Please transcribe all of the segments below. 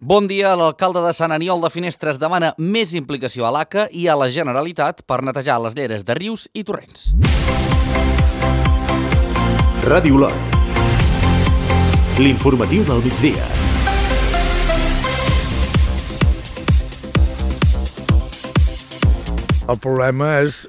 Bon dia. L'alcalde de Sant Aniol de Finestres demana més implicació a l'ACA i a la Generalitat per netejar les lleres de rius i torrents. Ràdio Lot. L'informatiu del migdia. El problema és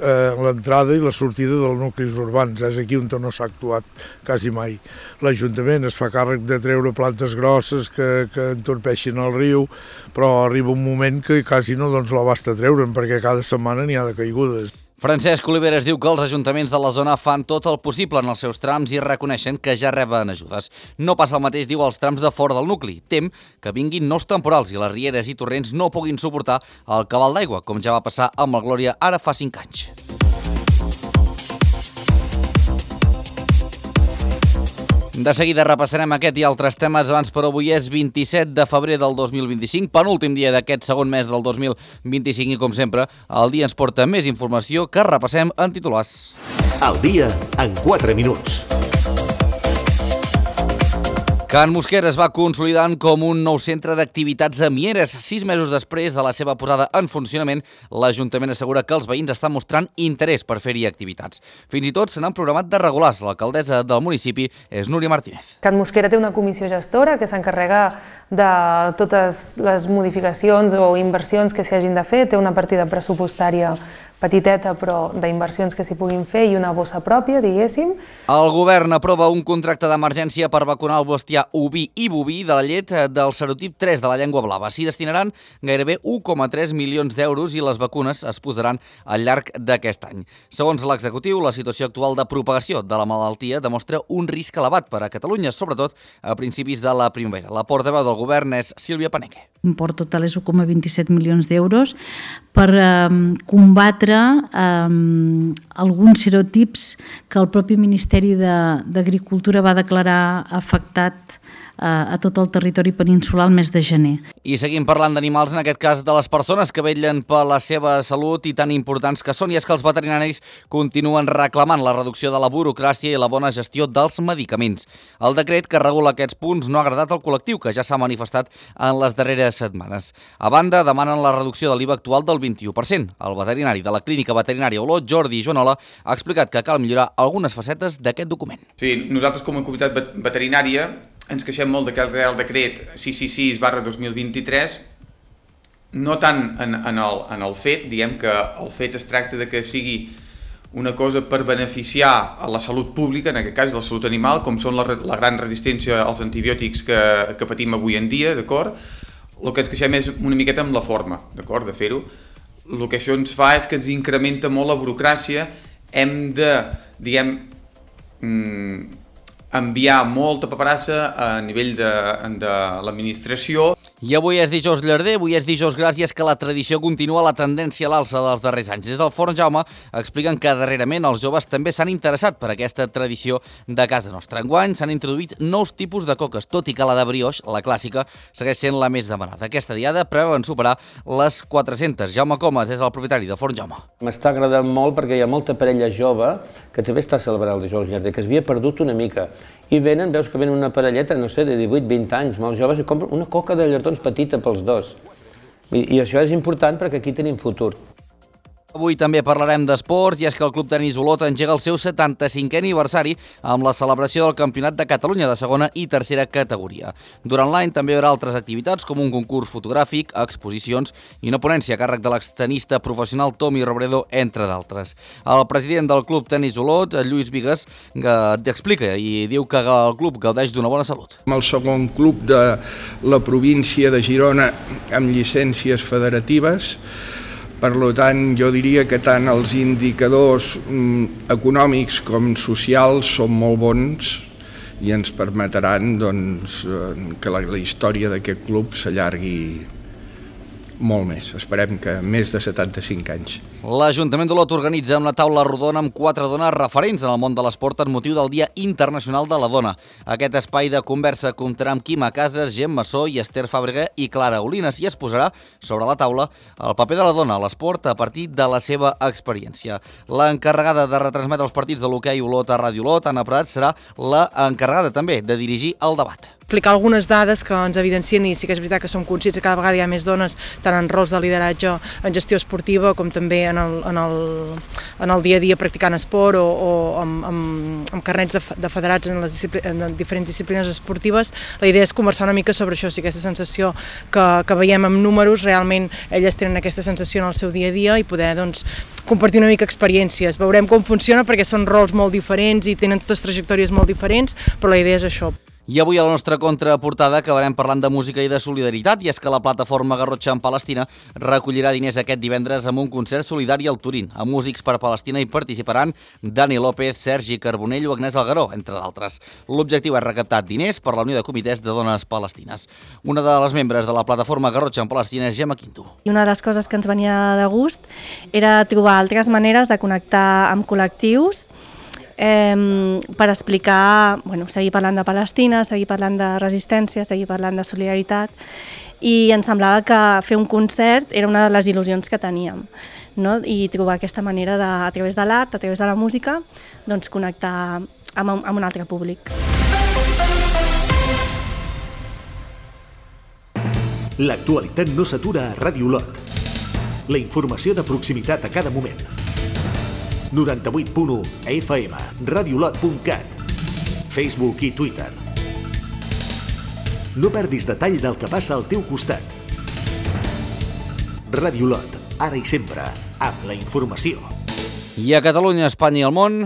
l'entrada i la sortida dels nuclis urbans. És aquí on no s'ha actuat quasi mai. L'Ajuntament es fa càrrec de treure plantes grosses que entorpeixin el riu, però arriba un moment que quasi no l'abasta treure'n, perquè cada setmana n'hi ha de caigudes. Francesc Oliveres diu que els ajuntaments de la zona fan tot el possible en els seus trams i reconeixen que ja reben ajudes. No passa el mateix, diu, als trams de fora del nucli. Tem que vinguin nous temporals i les rieres i torrents no puguin suportar el cabal d'aigua, com ja va passar amb el Glòria ara fa 5 anys. De seguida repassarem aquest i altres temes. Abans, però, avui és 27 de febrer del 2025, penúltim dia d'aquest segon mes del 2025 i, com sempre, el dia ens porta més informació que repassem en titulars. El dia en 4 minuts. Can Mosquera es va consolidant com un nou centre d'activitats a Mieres. 6 mesos després de la seva posada en funcionament, l'Ajuntament assegura que els veïns estan mostrant interès per fer-hi activitats. Fins i tot se n'han programat de regulars. L'alcaldessa del municipi és Núria Martínez. Can Mosquera té una comissió gestora que s'encarrega de totes les modificacions o inversions que s'hi hagin de fer. Té una partida pressupostària petiteta, però d'inversions que s'hi puguin fer i una bossa pròpia, diguéssim. El govern aprova un contracte d'emergència per vacunar el bestiar oví i boví de la llet del serotip 3 de la llengua blava. S'hi destinaran gairebé 1,3 milions d'euros i les vacunes es posaran al llarg d'aquest any. Segons l'executiu, la situació actual de propagació de la malaltia demostra un risc elevat per a Catalunya, sobretot a principis de la primavera. La portaveu del govern és Sílvia Paneque. Import total és 1,27 milions d'euros per combatre alguns serotips que el propi Ministeri d'Agricultura va declarar afectat a tot el territori peninsular el mes de gener. I seguim parlant d'animals, en aquest cas de les persones que vetllen per la seva salut i tan importants que són, i és que els veterinaris continuen reclamant la reducció de la burocràcia i la bona gestió dels medicaments. El decret que regula aquests punts no ha agradat al col·lectiu, que ja s'ha manifestat en les darreres setmanes. A banda, demanen la reducció de l'IVA actual del 21%. El veterinari de la Clínica Veterinària Olot, Jordi Joanola, ha explicat que cal millorar algunes facetes d'aquest document. Sí, nosaltres com a comunitat veterinària ens queixem molt d'aquest Real Decret 666/2023, no tant en el fet, diguem que el fet es tracta de que sigui una cosa per beneficiar a la salut pública, en aquest cas la salut animal, com són la gran resistència als antibiòtics que patim avui en dia, d'acord? El que ens queixem és una miqueta amb la forma, d'acord, de fer-ho. El que això ens fa és que ens incrementa molt la burocràcia, hem de, diguem, enviar molta paperassa a nivell de l'administració. I avui és dijous llarder, avui és dijous gras, i és que la tradició continua la tendència a l'alça dels darrers anys. Des del Forn Jaume expliquen que darrerament els joves també s'han interessat per aquesta tradició de casa nostra. Enguany s'han introduït nous tipus de coques, tot i que la de brioix, la clàssica, segueix sent la més demanada. Aquesta diada preveuen superar les 400. Jaume Comas és el propietari del Forn Jaume. M'està agradant molt perquè hi ha molta parella jove que també està celebrant el dijous llarder, que s'havia perdut una mica. I venen, veus que venen una parelleta, no sé, de 18-20 anys, molt joves, i compren una coca de llardons petita pels dos. I això és important perquè aquí tenim futur. Avui també parlarem d'esports, i és que el Club Tenis Olot engega el seu 75è aniversari amb la celebració del Campionat de Catalunya de segona i tercera categoria. Durant l'any també hi haurà altres activitats com un concurs fotogràfic, exposicions i una ponència a càrrec de l'extenista professional Tomi Robredo, entre d'altres. El president del Club Tenis Olot, Lluís Vigues, explica i diu que el club gaudeix d'una bona salut. El segon club de la província de Girona amb llicències federatives. Per tant, jo diria que tant els indicadors econòmics com socials són molt bons i ens permetran que la història d'aquest club s'allargui molt més. Esperem que més de 75 anys. L'Ajuntament d'Olot organitza una taula rodona amb 4 dones referents en el món de l'esport en motiu del Dia Internacional de la Dona. Aquest espai de conversa comptarà amb Quima Casas, Gemma Massó i Esther Fàbrega i Clara Olinas, i es posarà sobre la taula el paper de la dona a l'esport a partir de la seva experiència. L'encarregada de retransmetre els partits de l'hoquei Olot a Ràdio Olot, Anna Prat, serà l'encarregada també de dirigir el debat. explicar algunes dades que ens evidencien, i sí que és veritat que som conscients que cada vegada hi ha més dones tant en rols de lideratge en gestió esportiva com també en el dia a dia practicant esport o amb carnets de federats en diferents disciplines esportives. La idea és conversar una mica sobre això, si aquesta sensació que veiem amb números, realment elles tenen aquesta sensació en el seu dia a dia i poder compartir una mica experiències. Veurem com funciona perquè són rols molt diferents i tenen totes trajectòries molt diferents, però la idea és això. I avui a la nostra contraportada acabarem parlant de música i de solidaritat, i és que la plataforma Garrotxa en Palestina recollirà diners aquest divendres amb un concert solidari al Turín. A Músics per Palestina hi participaran Dani López, Sergi Carbonell o Agnès Algaró, entre d'altres. L'objectiu és recaptar diners per la Unió de Comitès de Dones Palestines. Una de les membres de la plataforma Garrotxa en Palestina és Gemma Quinto. I una de les coses que ens venia de gust era trobar altres maneres de connectar amb col·lectius per explicar, seguir parlant de Palestina, seguir parlant de resistència, seguir parlant de solidaritat, i ens semblava que fer un concert era una de les il·lusions que teníem, no? I trobar aquesta manera a través de l'art, a través de la música, connectar amb un altre públic. L'actualitat no s'atura a Ràdio Olot. La informació de proximitat a cada moment. 98.1 FM, radiolot.cat, Facebook i Twitter. No perdis detall del que passa al teu costat. Ràdio Olot, ara i sempre, amb la informació. I a Catalunya, Espanya i el món...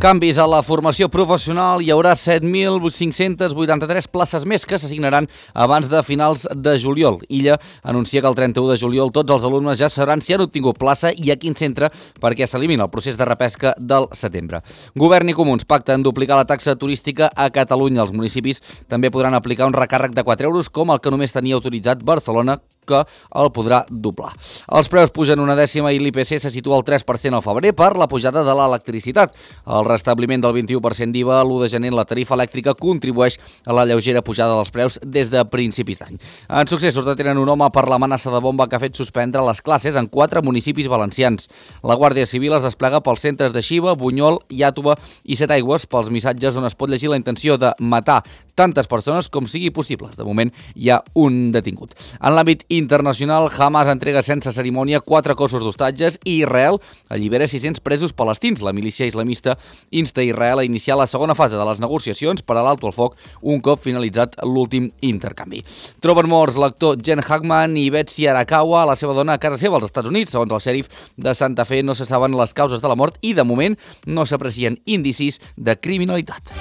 Canvis a la formació professional. Hi haurà 7.583 places més que s'assignaran abans de finals de juliol. Illa anuncia que el 31 de juliol tots els alumnes ja sabran si han obtingut plaça i a quin centre, perquè s'elimina el procés de repesca del setembre. Govern i Comuns pacten duplicar la taxa turística a Catalunya. Els municipis també podran aplicar un recàrrec de 4 euros com el que només tenia autoritzat Barcelona, que el podrà doblar. Els preus pugen una dècima i l'IPC se situa al 3% al febrer per la pujada de l'electricitat. El restabliment del 21% d'IVA l'1 de gener en la tarifa elèctrica contribueix a la lleugera pujada dels preus des de principis d'any. En Successos detenen un home per l'amenaça de bomba que ha fet suspendre les classes en 4 municipis valencians. La Guàrdia Civil es desplega pels centres de Xiva, Bunyol, Iàtova i Setaigües pels missatges on es pot llegir la intenció de matar tantes persones com sigui possible. De moment hi ha un detingut. En l'àmbit internacional, Hamas entrega sense cerimònia 4 cossos d'hostatges i Israel allibera 600 presos palestins. La milícia islamista insta Israel a iniciar la segona fase de les negociacions per a l'alto al foc un cop finalitzat l'últim intercanvi. Troben morts l'actor Jen Hackman i Betsy Arakawa a la seva dona a casa seva als Estats Units. Segons el xèrif de Santa Fe, no se saben les causes de la mort i, de moment, no s'aprecien indicis de criminalitat.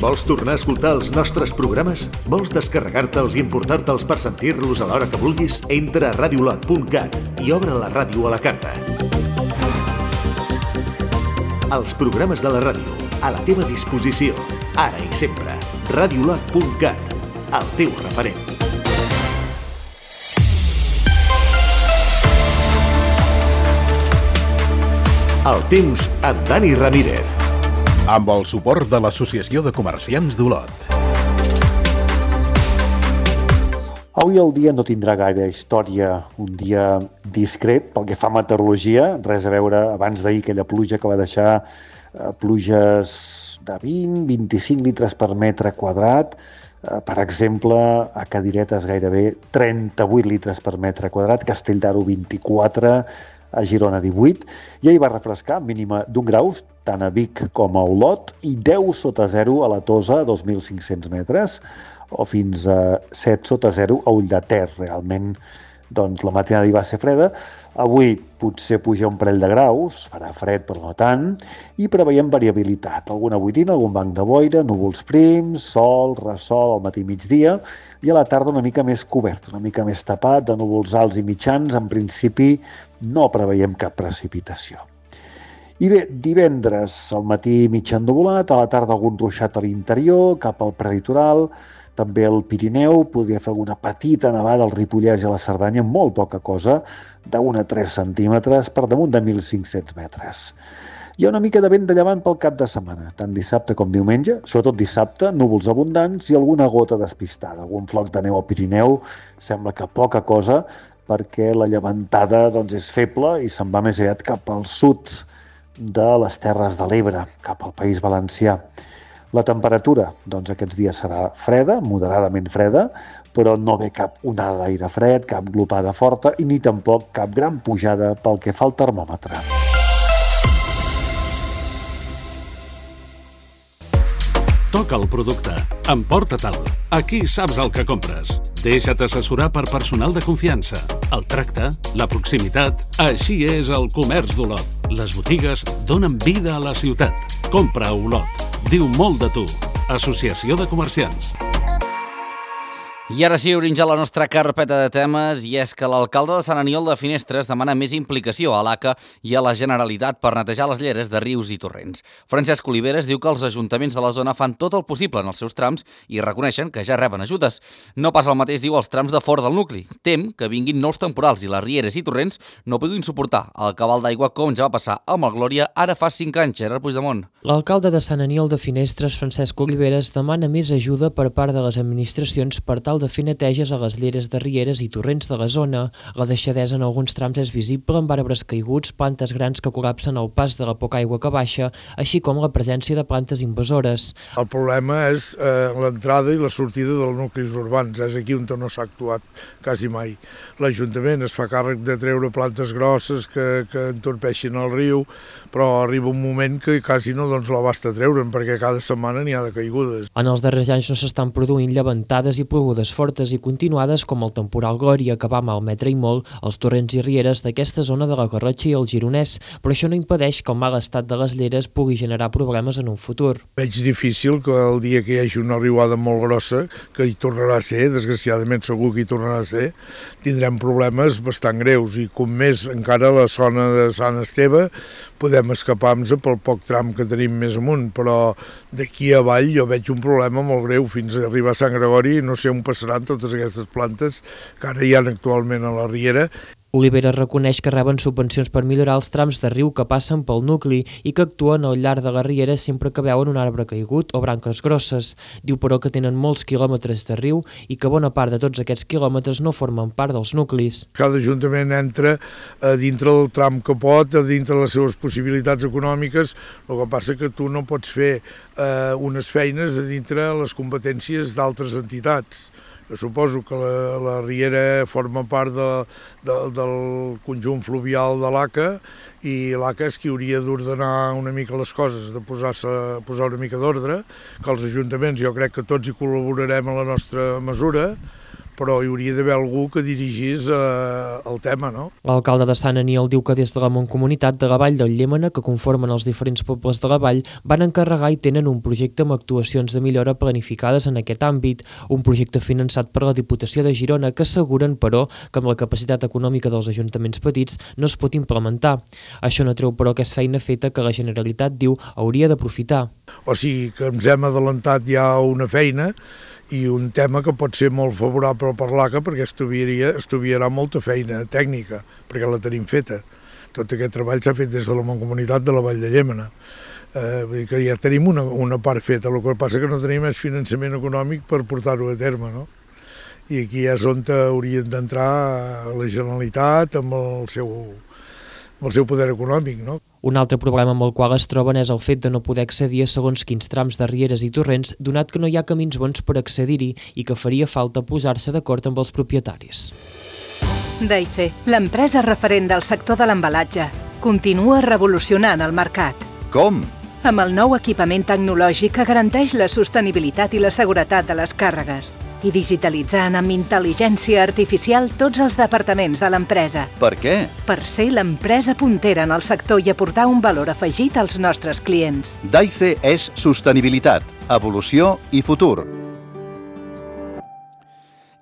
Vols tornar a escoltar els nostres programes? Vols descarregar-te'ls i emportar-te'ls per sentir-los a l'hora que vulguis? Entra a radiolot.cat i obre la ràdio a la carta. Els programes de la ràdio, a la teva disposició, ara i sempre. Radiolot.cat, el teu referent. El temps amb Dani Ramírez. Amb el suport de l'Associació de Comerciants d'Olot. Avui el dia no tindrà gaire història, un dia discret pel que fa a meteorologia, res a veure abans d'ahir aquella pluja que va deixar pluges de 20-25 litres per metre quadrat, per exemple, a Cadiretes gairebé 38 litres per metre quadrat, Castelldaro 24, a Girona 18, i ahir va refrescar, mínima d'1 grau, tant a Vic com a Olot, i 10 sota 0 a la Tosa, a 2.500 metres, o fins a 7 sota 0 a Ulldeter. Realment, doncs, la matinada hi va ser freda. Avui potser puja un parell de graus, farà fred però no tant, i preveiem variabilitat. Alguna boirina, algun banc de boira, núvols prims, sol, ressol al matí migdia, i a la tarda una mica més cobert, una mica més tapat, de núvols alts i mitjans. En principi no preveiem cap precipitació. I bé, divendres al matí mig ennuvolat, a la tarda algun ruixat a l'interior, cap al prelitoral, també al Pirineu, podria fer alguna petita nevada al Ripollès i a la Cerdanya, molt poca cosa, d'1 a 3 centímetres per damunt de 1.500 metres. Hi ha una mica de vent de llevant pel cap de setmana, tant dissabte com diumenge, sobretot dissabte, núvols abundants i alguna gota despistada. Algun floc de neu al Pirineu, sembla que poca cosa, perquè la llevantada és feble i se'n va més aviat cap al sud de les Terres de l'Ebre, cap al País Valencià. La temperatura, aquests dies serà freda, moderadament freda, però no ve cap onada d'aire fred, cap glopada forta i ni tampoc cap gran pujada pel que fa al termòmetre. Toca el producte, emporta-te'l. Aquí saps el que compres. Deixa't assessorar per personal de confiança. El tracte, la proximitat, així és el comerç d'Olot. Les botigues donen vida a la ciutat. Compra a Olot. Diu molt de tu. Associació de Comerciants. I ara sí, obrim ja la nostra carpeta de temes, i és que l'alcalde de Sant Aniol de Finestres demana més implicació a l'ACA i a la Generalitat per netejar les lleres de rius i torrents. Francesc Oliveres diu que els ajuntaments de la zona fan tot el possible en els seus trams i reconeixen que ja reben ajudes. No passa el mateix, diu, als trams de fora del nucli. Tem que vinguin nous temporals i les rieres i torrents no puguin suportar el cabal d'aigua com ja va passar amb el Glòria ara fa 5 anys. Gerard Puigdemont. L'alcalde de Sant Aniol de Finestres, Francesc Oliveres, demana més ajuda per part de les administracions per tal de fer neteges a les lleres de rieres i torrents de la zona. La deixadesa en alguns trams és visible amb arbres caiguts, plantes grans que col·lapsen el pas de la poca aigua que baixa, així com la presència de plantes invasores. El problema és l'entrada i la sortida dels nuclis urbans. És aquí on no s'ha actuat quasi mai. L'Ajuntament es fa càrrec de treure plantes grosses que entorpeixin el riu, però arriba un moment que quasi no l'abasta treure'n, perquè cada setmana n'hi ha de caigudes. En els darrers anys no s'estan produint llevantades i plogudes fortes i continuades com el temporal Glòria, que va malmetre i molt els torrents i rieres d'aquesta zona de la Garrotxa i el Gironès, però això no impedeix que el mal estat de les lleres pugui generar problemes en un futur. Veig difícil que el dia que hi hagi una riuada molt grossa, que hi tornarà a ser, desgraciadament segur que hi tornarà a ser, tindrem problemes bastant greus, i com més encara la zona de Sant Esteve podem escapar-nos pel poc tram que tenim més amunt, però d'aquí avall jo veig un problema molt greu fins a arribar a Sant Gregori i no sé on passaran totes aquestes plantes que ara hi ha actualment a la riera. Oliveres reconeix que reben subvencions per millorar els trams de riu que passen pel nucli i que actuen al llarg de la riera sempre que veuen un arbre caigut o branques grosses. Diu, però, que tenen molts quilòmetres de riu i que bona part de tots aquests quilòmetres no formen part dels nuclis. Cada ajuntament entra a dintre del tram que pot, a dintre de les seves possibilitats econòmiques. El que passa que tu no pots fer unes feines a dintre les competències d'altres entitats. Jo suposo que la riera forma part del conjunt fluvial de l'ACA i l'ACA és qui hauria d'ordenar una mica les coses, de posar una mica d'ordre, que els ajuntaments jo crec que tots hi col·laborarem a la nostra mesura, però hi hauria d'haver algú que dirigís el tema, no? L'alcalde de Sant Aniol diu que des de la Mancomunitat de la Vall del Llémena, que conformen els diferents pobles de la vall, van encarregar i tenen un projecte amb actuacions de millora planificades en aquest àmbit, un projecte finançat per la Diputació de Girona que asseguren, però, que amb la capacitat econòmica dels ajuntaments petits no es pot implementar. Això no treu, però, que és feina feta que la Generalitat, diu, hauria d'aprofitar. O sigui que ens hem adelantat ja una feina i un tema que pot ser molt favorable per l'ACA perquè estudiarà molta feina tècnica, perquè la tenim feta. Tot aquest treball s'ha fet des de la Mancomunitat de la Vall de Llémena. Vull dir que ja tenim una part feta, el que passa que no tenim més finançament econòmic per portar-ho a terme, no? I aquí és on haurien d'entrar la Generalitat amb el seu poder econòmic, no? Un altre problema amb el qual es troben és el fet de no poder accedir a segons quins trams de rieres i torrents, donat que no hi ha camins bons per accedir-hi i que faria falta posar-se d'acord amb els propietaris. Daife, l'empresa referent del sector de l'embalatge, continua revolucionant el mercat. Com? Amb el nou equipament tecnològic que garanteix la sostenibilitat i la seguretat de les càrregues i digitalitzant amb intel·ligència artificial tots els departaments de l'empresa. Per què? Per ser l'empresa puntera en el sector i aportar un valor afegit als nostres clients. Daife és sostenibilitat, evolució i futur.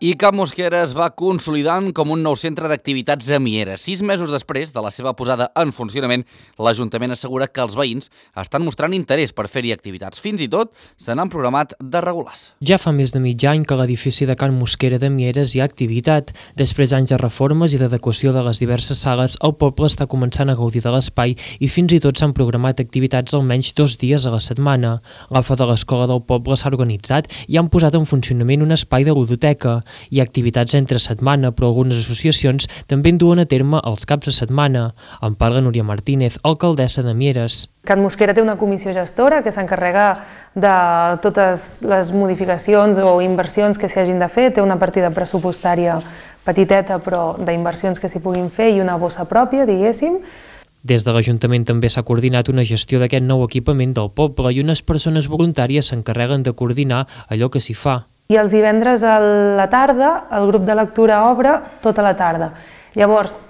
I Can Mosquera es va consolidant com un nou centre d'activitats a Mieres. 6 mesos després de la seva posada en funcionament, l'Ajuntament assegura que els veïns estan mostrant interès per fer-hi activitats. Fins i tot se n'han programat de regulars. Ja fa més de mig any que a l'edifici de Can Mosquera de Mieres hi ha activitat. Després d'anys de reformes i d'adequació de les diverses sales, el poble està començant a gaudir de l'espai i fins i tot s'han programat activitats almenys 2 dies a la setmana. L'AFA de l'escola del poble s'ha organitzat i han posat en funcionament un espai de ludoteca. Hi ha activitats entre setmana, però algunes associacions també en duen a terme els caps de setmana. En parla Núria Martínez, alcaldessa de Mieres. Can Mosquera té una comissió gestora que s'encarrega de totes les modificacions o inversions que s'hi hagin de fer. Té una partida pressupostària petiteta, però d'inversions que s'hi puguin fer i una bossa pròpia, diguéssim. Des de l'Ajuntament també s'ha coordinat una gestió d'aquest nou equipament del poble i unes persones voluntàries s'encarreguen de coordinar allò que s'hi fa. I els divendres a la tarda el grup de lectura obre tota la tarda. Llavors,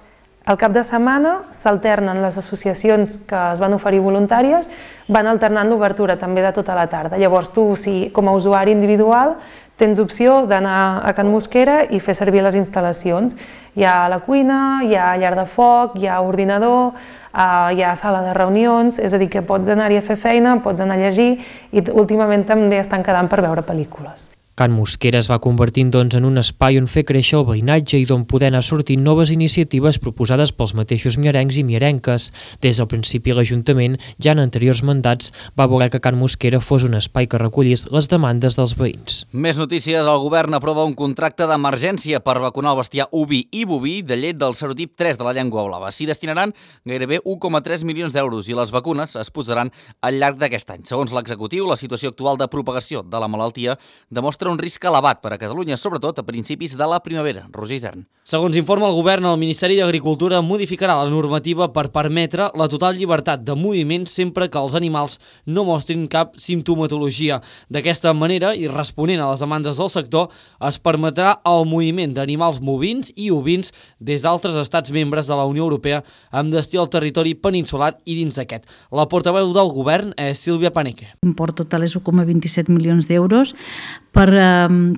al cap de setmana s'alternen les associacions que es van oferir voluntàries, van alternant l'obertura també de tota la tarda. Llavors tu, si com a usuari individual, tens opció d'anar a Can Mosquera i fer servir les instal·lacions. Hi ha la cuina, hi ha llar de foc, hi ha ordinador, hi ha sala de reunions, és a dir, que pots anar-hi a fer feina, pots anar a llegir i últimament també estan quedant per veure pel·lícules. Can Mosquera es va convertint doncs, en un espai on fer créixer el veïnatge i d'on poder anar sortint noves iniciatives proposades pels mateixos mierencs i mierenques. Des del principi l'Ajuntament, ja en anteriors mandats, va voler que Can Mosquera fos un espai que recollís les demandes dels veïns. Més notícies. El govern aprova un contracte d'emergència per vacunar el bestiar oví i boví de llet del serotip 3 de la llengua blava. S'hi destinaran gairebé 1,3 milions d'euros i les vacunes es posaran al llarg d'aquest any. Segons l'executiu, la situació actual de propagació de la malaltia demostra un risc elevat per a Catalunya, sobretot a principis de la primavera. Roger Isern. Segons informa el govern, el Ministeri d'Agricultura modificarà la normativa per permetre la total llibertat de moviment sempre que els animals no mostrin cap simptomatologia. D'aquesta manera, i responent a les demandes del sector, es permetrà el moviment d'animals bovins i ovins des d'altres estats membres de la Unió Europea amb destí al territori peninsular i dins d'aquest. La portaveu del govern és Sílvia Paneque. L'import total és 1,27 milions d'euros per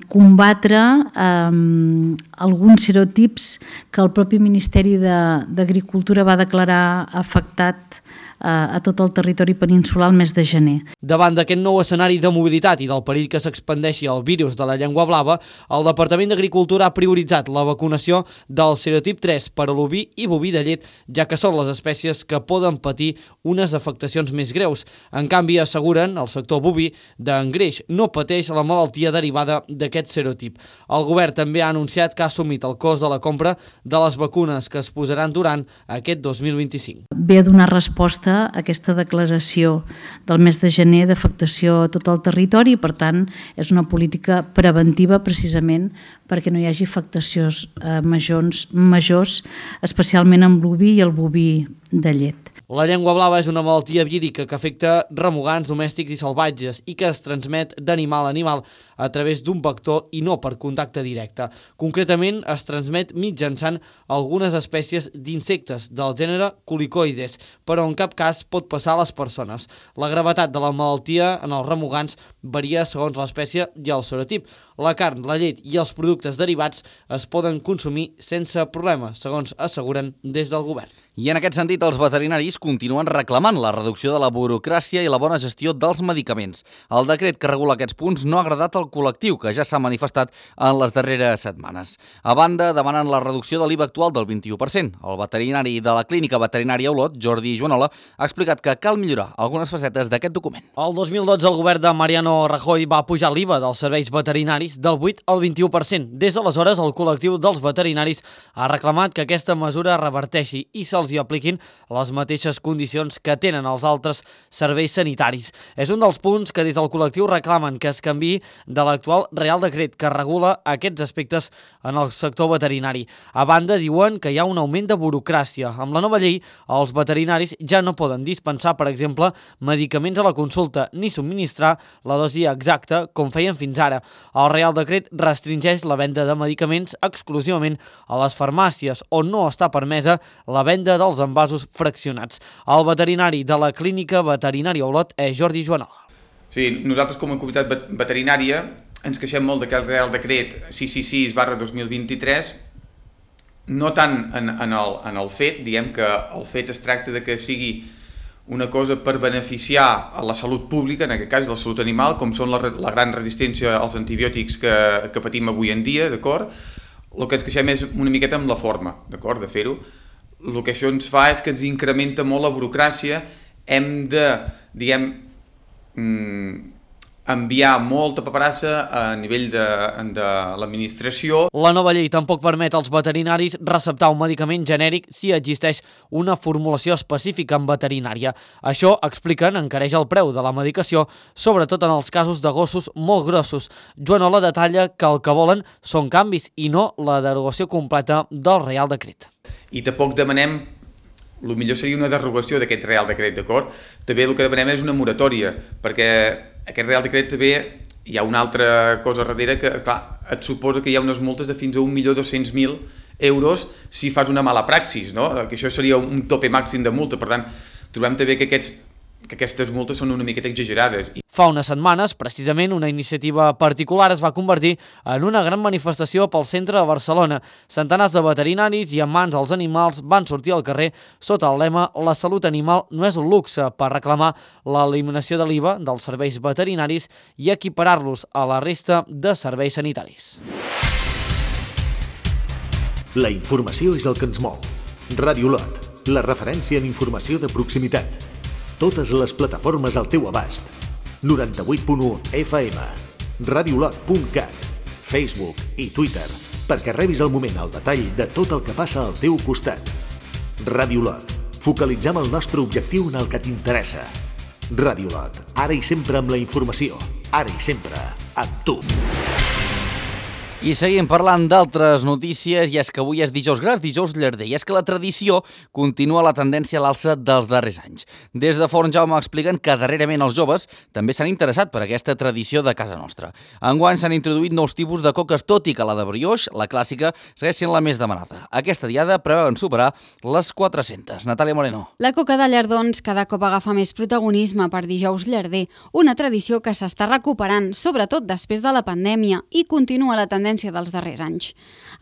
combatre alguns serotips que el propi Ministeri d'Agricultura va declarar afectat a tot el territori peninsular el mes de gener. Davant d'aquest nou escenari de mobilitat i del perill que s'expandeixi el virus de la llengua blava, el Departament d'Agricultura ha prioritzat la vacunació del serotip 3 per a l'oví i boví de llet, ja que són les espècies que poden patir unes afectacions més greus. En canvi, asseguren, el sector boví d'engreix no pateix la malaltia derivada d'aquest serotip. El govern també ha anunciat que ha assumit el cost de la compra de les vacunes que es posaran durant aquest 2025. Ve a donar resposta a aquesta declaració del mes de gener d'afectació a tot el territori i, per tant, és una política preventiva precisament perquè no hi hagi afectacions majors, especialment amb l'oví i el boví de llet. La llengua blava és una malaltia vírica que afecta remugants domèstics i salvatges i que es transmet d'animal a animal a través d'un vector i no per contacte directe. Concretament, es transmet mitjançant algunes espècies d'insectes del gènere Culicoides, però en cap cas pot passar a les persones. La gravetat de la malaltia en els remugants varia segons l'espècie i el serotip. La carn, la llet i els productes derivats es poden consumir sense problema, segons asseguren des del govern. I en aquest sentit, els veterinaris continuen reclamant la reducció de la burocràcia i la bona gestió dels medicaments. El decret que regula aquests punts no ha agradat al col·lectiu, que ja s'ha manifestat en les darreres setmanes. A banda, demanen la reducció de l'IVA actual del 21%. El veterinari de la Clínica Veterinària Olot, Jordi Joanola, ha explicat que cal millorar algunes facetes d'aquest document. El 2012 el govern de Mariano Rajoy va pujar l'IVA dels serveis veterinaris del 8 al 21%. Des d'aleshores, el col·lectiu dels veterinaris ha reclamat que aquesta mesura reverteixi i se'ls hi apliquin les mateixes condicions que tenen els altres serveis sanitaris. És un dels punts que des del col·lectiu reclamen que es canviï de l'actual Real Decret que regula aquests aspectes en el sector veterinari. A banda, diuen que hi ha un augment de burocràcia. Amb la nova llei, els veterinaris ja no poden dispensar, per exemple, medicaments a la consulta ni subministrar la dosi exacta com feien fins ara. El Real Decret restringeix la venda de medicaments exclusivament a les farmàcies, on no està permesa la venda dels envasos fraccionats. El veterinari de la Clínica Veterinària Olot és Jordi Joanola. Sí, nosaltres com a comunitat veterinària ens queixem molt d'aquest Real Decret 666/2023, no tant en el fet, diguem que el fet es tracta de que sigui una cosa per beneficiar a la salut pública, en aquest cas la salut animal, com són la gran resistència als antibiòtics que patim avui en dia, d'acord? El que ens queixem és una miqueta amb la forma, d'acord, de fer-ho. El que això ens fa és que ens incrementa molt la burocràcia, hem de, diguem, enviar molta paperassa a nivell de l'administració. La nova llei tampoc permet als veterinaris receptar un medicament genèric si existeix una formulació específica en veterinària. Això, expliquen, encareix el preu de la medicació, sobretot en els casos de gossos molt grossos. Joan Ola detalla que el que volen són canvis i no la derogació completa del Real Decret. I tampoc demanem, el millor seria una derogació d'aquest Real Decret, d'acord? També el que demanem és una moratòria, perquè aquest Real Decret també hi ha una altra cosa darrere que, clar, et suposa que hi ha unes multes de fins a 1.200.000 euros si fas una mala praxis, no? Que això seria un tope màxim de multa, per tant, trobem també que aquestes multes són una miqueta exagerades. Fa unes setmanes, precisament, una iniciativa particular es va convertir en una gran manifestació pel centre de Barcelona. Centenars de veterinaris i amants dels animals van sortir al carrer sota el lema «La salut animal no és un luxe» per reclamar l'eliminació de l'IVA dels serveis veterinaris i equiparar-los a la resta de serveis sanitaris. La informació és el que ens mou. Ràdio Lot, la referència en informació de proximitat. Totes les plataformes al teu abast. 98.1 FM, radiolot.cat, Facebook i Twitter, perquè rebis al moment el detall de tot el que passa al teu costat. Ràdio Lot, focalitzem el nostre objectiu en el que t'interessa. Ràdio Lot, ara i sempre amb la informació, ara i sempre amb tu. I seguim parlant d'altres notícies, i és que avui és dijous gras, dijous llarder, i és que la tradició continua la tendència a l'alça dels darrers anys. Des de Forn Jaume expliquen que darrerament els joves també s'han interessat per aquesta tradició de casa nostra. Enguany s'han introduït nous tipus de coques, tot i que la de brioix, la clàssica, segueix sent la més demanada. Aquesta diada preveuen superar les 400. Natàlia Moreno. La coca de llardons cada cop agafa més protagonisme per dijous llarder, una tradició que s'està recuperant, sobretot després de la pandèmia, i continua la tendència dels darrers anys.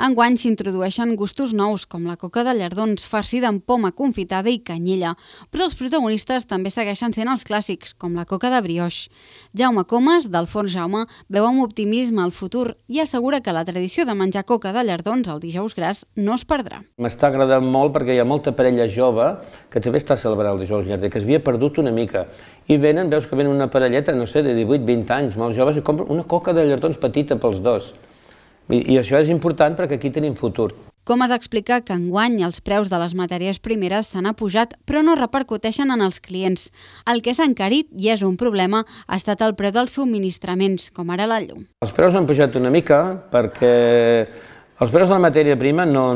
Enguany s'introdueixen gustos nous, com la coca de llardons farcida amb poma confitada i canyella, però els protagonistes també segueixen sent els clàssics, com la coca de brioix. Jaume Comas, del Forn Jaume, veu amb optimisme el futur i assegura que la tradició de menjar coca de llardons el dijous gras no es perdrà. M'està agradant molt perquè hi ha molta parella jove que també està celebrant el dijous llarder, que s'havia perdut una mica. I venen, veus que venen una parelleta, no sé, de 18-20 anys, molt joves, i compren una coca de llardons petita pels dos. I això és important perquè aquí tenim futur. Comas explica que enguany els preus de les matèries primeres s'han apujat, però no repercuteixen en els clients. El que s'ha encarit, i és un problema, ha estat el preu dels subministraments, com ara la llum. Els preus han pujat una mica perquè els preus de la matèria prima no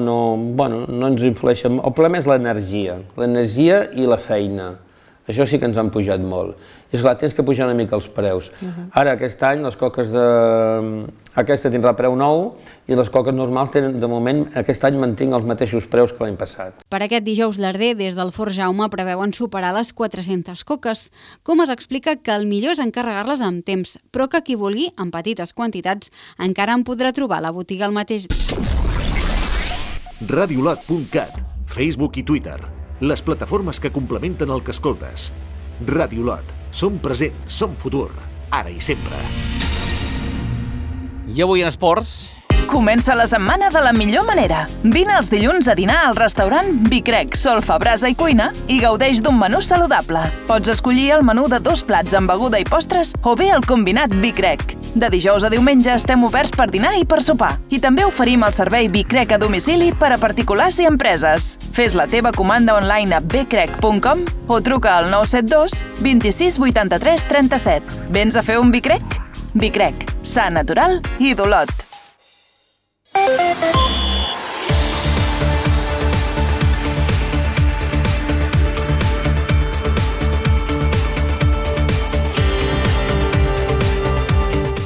ens influeixen. El problema és l'energia i la feina. Això sí que ens han pujat molt. I esclar, tens que pujar una mica els preus. Ara, aquest any, les coques aquesta tindrà preu nou i les coques normals tenen, de moment, aquest any mantinc els mateixos preus que l'any passat. Per aquest dijous llarder, des del Forn Jaume preveuen superar les 400 coques. Com es explica que el millor és encarregar-les amb temps, però que qui vulgui, en petites quantitats, encara en podrà trobar a la botiga el mateix dia. Radiolot.cat, Facebook i Twitter, les plataformes que complementen el que escoltes. Ràdio Lot, som present, som futur, ara i sempre. I avui en esports... Comença la setmana de la millor manera. Vine els dilluns a dinar al restaurant Bicrec, Solfa, Brasa i Cuina i gaudeix d'un menú saludable. Pots escollir el menú de 2 plats amb beguda i postres o bé el combinat Bicrec. De dijous a diumenge estem oberts per dinar i per sopar. I també oferim el servei Bicrec a domicili per a particulars i empreses. Fes la teva comanda online a bcrec.com o truca al 972 26 83 37. Vens a fer un Bicrec? Bicrec, sa, natural i d'Olot.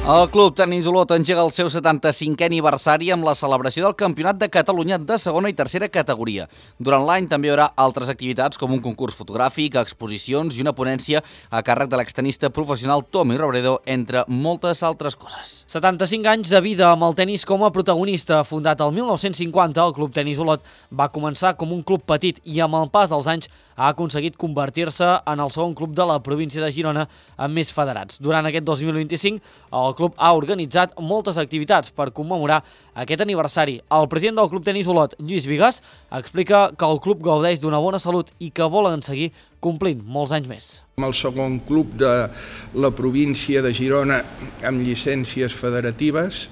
El Club Tenis Olot engega el seu 75è aniversari amb la celebració del Campionat de Catalunya de segona i tercera categoria. Durant l'any també hi haurà altres activitats com un concurs fotogràfic, exposicions i una ponència a càrrec de l'extenista professional Tommy Robredo, entre moltes altres coses. 75 anys de vida amb el tenis com a protagonista. Fundat el 1950, el Club Tenis Olot va començar com un club petit i amb el pas dels anys ha aconseguit convertir-se en el segon club de la província de Girona amb més federats. Durant aquest 2025, el club ha organitzat moltes activitats per commemorar aquest aniversari. El president del Club Tenis Olot, Lluís Bigues, explica que el club gaudeix d'una bona salut i que volen seguir complint molts anys més. El segon club de la província de Girona amb llicències federatives.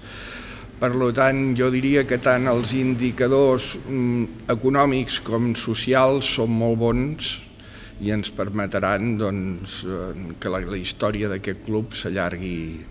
Per tant, jo diria que tant els indicadors econòmics com socials són molt bons i ens permetran que la història d'aquest club s'allargui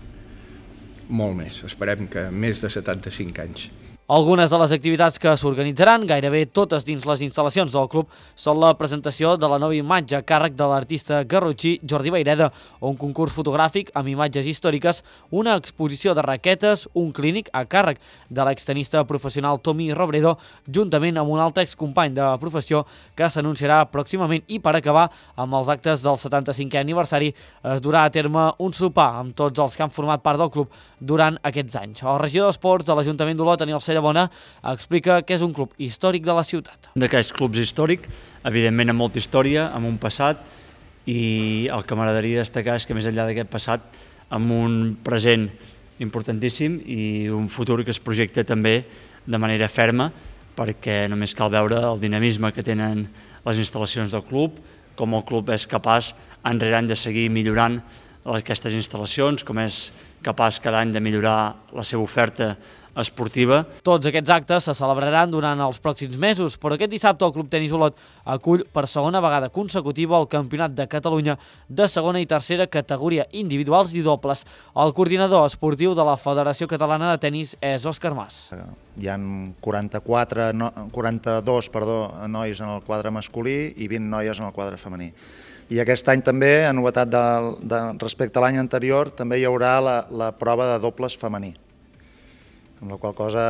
molt més. Esperem que més de 75 anys. Algunes de les activitats que s'organitzaran, gairebé totes dins les instal·lacions del club, són la presentació de la nova imatge a càrrec de l'artista garrotxí Jordi Vayreda, un concurs fotogràfic amb imatges històriques, una exposició de raquetes, un clínic a càrrec de l'extenista professional Tommy Robredo, juntament amb un altre excompany de professió que s'anunciarà pròximament, i per acabar amb els actes del 75è aniversari es durà a terme un sopar amb tots els que han format part del club durant aquests anys. El regidor d'Esports de l'Ajuntament d'Olot, Aniol Cellabona, explica que és un club històric de la ciutat. D'aquests clubs històrics, evidentment amb molta història, amb un passat, i el que m'agradaria destacar és que més enllà d'aquest passat, amb un present importantíssim i un futur que es projecta també de manera ferma, perquè només cal veure el dinamisme que tenen les instal·lacions del club, com el club és capaç any rere any de seguir millorant aquestes instal·lacions, com és capaç cada any de millorar la seva oferta esportiva. Tots aquests actes se celebraran durant els pròxims mesos, però aquest dissabte el Club Tenis Olot acull per segona vegada consecutiva el Campionat de Catalunya de segona i tercera categoria individuals i dobles. El coordinador esportiu de la Federació Catalana de Tenis és Òscar Mas. Hi ha 42 nois en el quadre masculí i 20 noies en el quadre femení. I aquest any també, en novetat respecte a l'any anterior, també hi haurà la prova de dobles femení, amb la qual cosa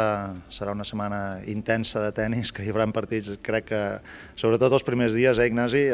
serà una setmana intensa de tenis, que hi haurà partits, crec que, sobretot els primers dies, Ignasi,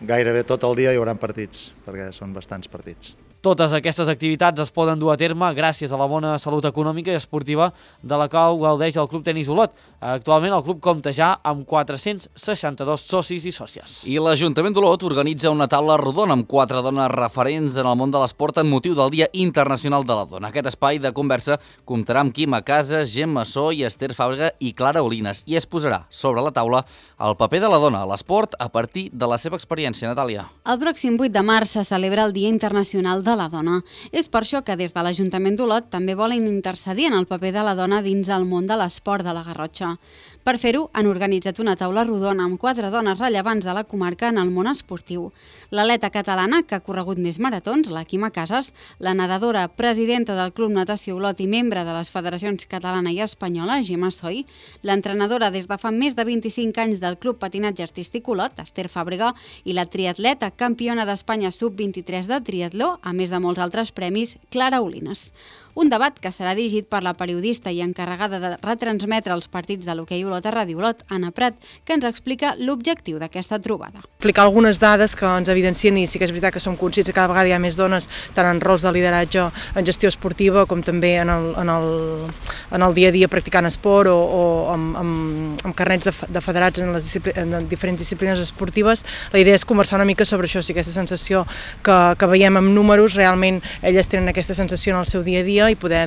gairebé tot el dia hi haurà partits, perquè són bastants partits. Totes aquestes activitats es poden dur a terme gràcies a la bona salut econòmica i esportiva de la qual gaudeix el Club Tenis Olot. Actualment el club compta ja amb 462 socis i sòcies. I l'Ajuntament d'Olot organitza una taula rodona amb 4 dones referents en el món de l'esport en motiu del Dia Internacional de la Dona. Aquest espai de conversa comptarà amb Quima Casas, Gemma Massó i Esther Fàbrega i Clara Olines, i es posarà sobre la taula el paper de la dona a l'esport a partir de la seva experiència, Natàlia. El pròxim 8 de març se celebra el Dia Internacional de la Dona. És per això que des de l'Ajuntament d'Olot també volen intercedir en el paper de la dona dins el món de l'esport de la Garrotxa. Per fer-ho, han organitzat una taula rodona amb 4 dones rellevants de la comarca en el món esportiu. L'atleta catalana, que ha corregut més maratons, la Quima Casas, la nedadora, presidenta del Club Natació Olot i membre de les federacions catalana i espanyola, Gemma Soy, l'entrenadora des de fa més de 25 anys del Club Patinatge Artístic Olot, Esther Fàbrega, i la triatleta campiona d'Espanya sub-23 de triatló, a més de molts altres premis, Clara Olines. Un debat que serà dirigit per la periodista i encarregada de retransmetre els partits de l'hoquei Olot a Ràdio Olot, Anna Prat, que ens explica l'objectiu d'aquesta trobada. Explicar algunes dades que ens evidencien, i sí que és veritat que som conscients que cada vegada hi ha més dones tant en rols de lideratge en gestió esportiva com també en el dia a dia practicant esport o amb carnets de federats en diferents disciplines esportives. La idea és conversar una mica sobre això, si aquesta sensació que veiem amb números, realment elles tenen aquesta sensació en el seu dia a dia i poder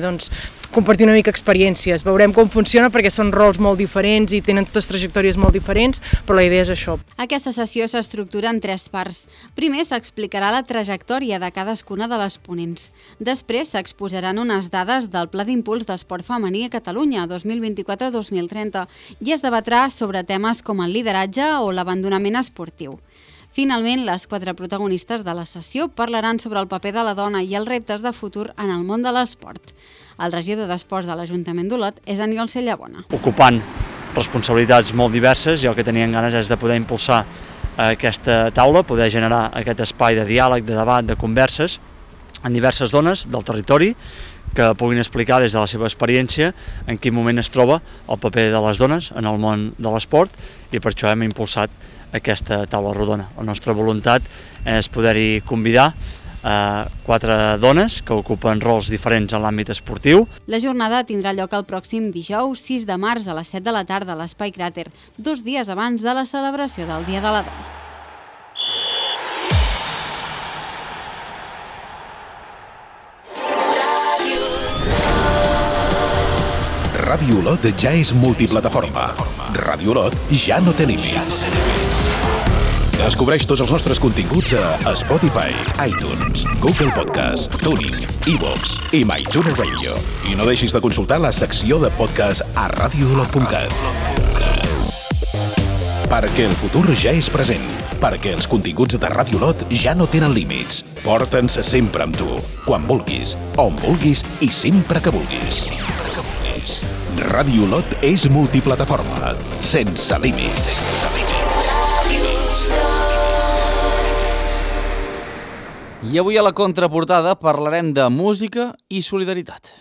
compartir una mica experiències. Veurem com funciona perquè són rols molt diferents i tenen totes trajectòries molt diferents, però la idea és això. Aquesta sessió s'estructura en 3 parts. Primer s'explicarà la trajectòria de cadascuna de les ponents. Després s'exposaran unes dades del Pla d'Impuls d'Esport Femení a Catalunya 2024-2030 i es debatrà sobre temes com el lideratge o l'abandonament esportiu. Finalment, les 4 protagonistes de la sessió parlaran sobre el paper de la dona i els reptes de futur en el món de l'esport. El regidor d'Esports de l'Ajuntament d'Olot és Aniol Cellabona. Ocupant responsabilitats molt diverses, i el que tenien ganes és de poder impulsar aquesta taula, poder generar aquest espai de diàleg, de debat, de converses, en diverses zones del territori que puguin explicar des de la seva experiència en quin moment es troba el paper de les dones en el món de l'esport, i per això hem impulsat aquesta taula rodona. La nostra voluntat és poder-hi convidar 4 dones que ocupen rols diferents en l'àmbit esportiu. La jornada tindrà lloc el pròxim dijous 6 de març a les 7 de la tarda a l'Espai Cràter, 2 dies abans de la celebració del Dia de la Dona. Ràdio Olot ja és multiplataforma. Ràdio Olot ja no té límits. Descobreix tots els nostres continguts a Spotify, iTunes, Google Podcast, Tuning, iVoox i MyTuner Radio. I no deixis de consultar la secció de podcast a radioolot.cat. Perquè el futur ja és present. Perquè els continguts de Ràdio Olot ja no tenen límits. Porta'ns sempre amb tu, quan vulguis, on vulguis i sempre que vulguis. Ràdio Olot és multiplataforma, sense límits. I avui a la contraportada parlarem de música i solidaritat.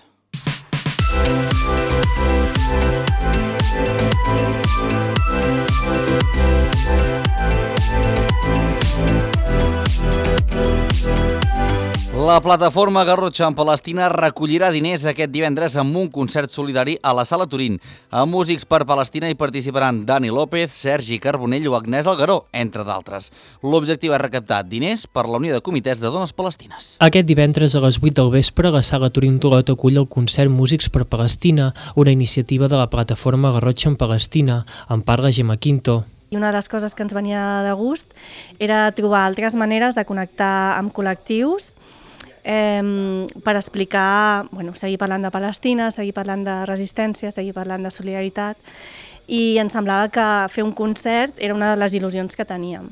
La plataforma Garrotxa en Palestina recollirà diners aquest divendres amb un concert solidari a la Sala Turín. A Músics per Palestina hi participaran Dani López, Sergi Carbonell o Agnès Algaró, entre d'altres. L'objectiu és recaptar diners per la Unió de Comitès de Dones Palestines. Aquest divendres a les 8 del vespre la Sala Turín d'Olot acull el concert Músics per Palestina, una iniciativa de la plataforma Garrotxa en Palestina. En parla Gemma Quinto. I una de les coses que ens venia de gust era trobar altres maneres de connectar amb col·lectius per explicar, seguir parlant de Palestina, seguir parlant de resistència, seguir parlant de solidaritat, i ens semblava que fer un concert era una de les il·lusions que teníem,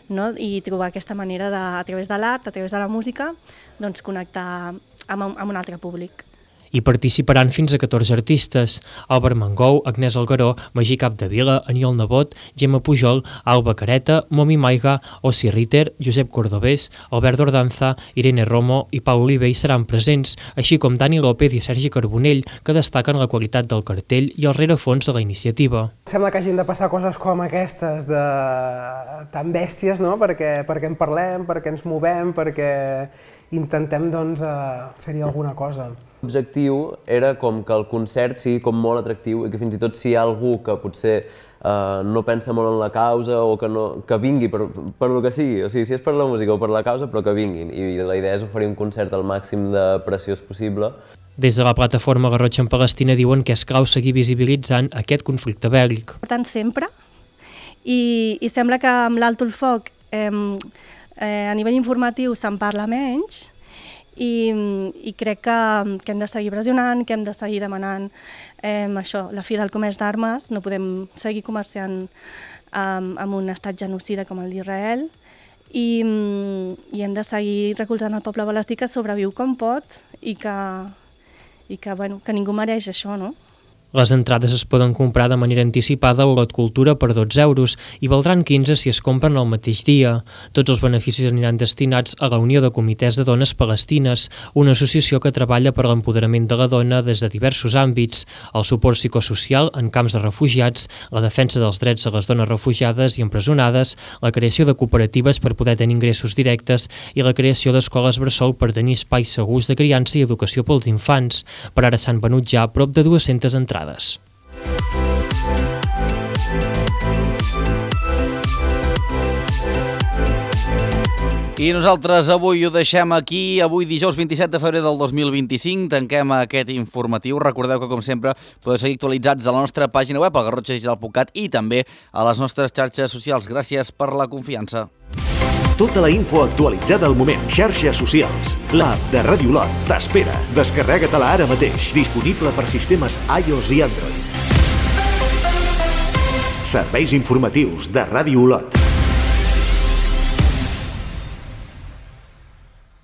no? I trobar aquesta manera a través de l'art, a través de la música, doncs connectar amb un altre públic. Hi participaran fins a 14 artistes: Albert Mangou, Agnès Algaró, Magí Capdevila, Aniol Nebot, Gemma Pujol, Alba Careta, Momi Maiga, Ossi Ritter, Josep Cordobés, Albert Ordanza, Irene Romo i Pau Olivell seran presents, així com Dani López i Sergi Carbonell, que destaquen la qualitat del cartell i el rerefons de la iniciativa. Sembla que hagin de passar coses com aquestes tan bèsties, no? perquè en parlem, perquè ens movem, perquè intentem fer-hi alguna cosa. L'objectiu era com que el concert sigui com molt atractiu i que fins i tot si hi ha algú que potser no pensa molt en la causa o que vingui per el que sigui, o sigui, si és per la música o per la causa, però que vinguin. I la idea és oferir un concert al màxim de preciós possible. Des de la plataforma Garrotxa en Palestina diuen que és clau seguir visibilitzant aquest conflicte bèl·lic. Per tant, sempre, i sembla que amb l'Alto el Foc a nivell informatiu se'n parla menys, i crec que hem de seguir pressionant, que hem de seguir demanant això, la fi del comerç d'armes. No podem seguir comerciant amb un estat genocida com el d'Israel, i hem de seguir recolzant el poble palestí que sobreviu com pot i que ningú mereix això, no? Les entrades es poden comprar de manera anticipada a Olot Cultura per 12 euros i valdran 15 si es compren el mateix dia. Tots els beneficis aniran destinats a la Unió de Comitès de Dones Palestines, una associació que treballa per l'empoderament de la dona des de diversos àmbits, el suport psicosocial en camps de refugiats, la defensa dels drets de les dones refugiades i empresonades, la creació de cooperatives per poder tenir ingressos directes i la creació d'escoles bressol per tenir espais segurs de criança i educació pels infants. Per ara s'han venut ja prop de 200 entrades. I nosaltres avui ho deixem aquí. Avui dijous 27 de febrer del 2025 tanquem aquest informatiu. Recordeu que, com sempre, podeu seguir actualitzats de la nostra pàgina web, al garrotxadigital.cat, i també a les nostres xarxes socials. Gràcies per la confiança. Tota la info actualitzada al moment. Xarxes socials. L'app de Ràdio Olot t'espera. Descarrega-te-la ara mateix. Disponible per sistemes iOS i Android. Serveis informatius de Ràdio Olot.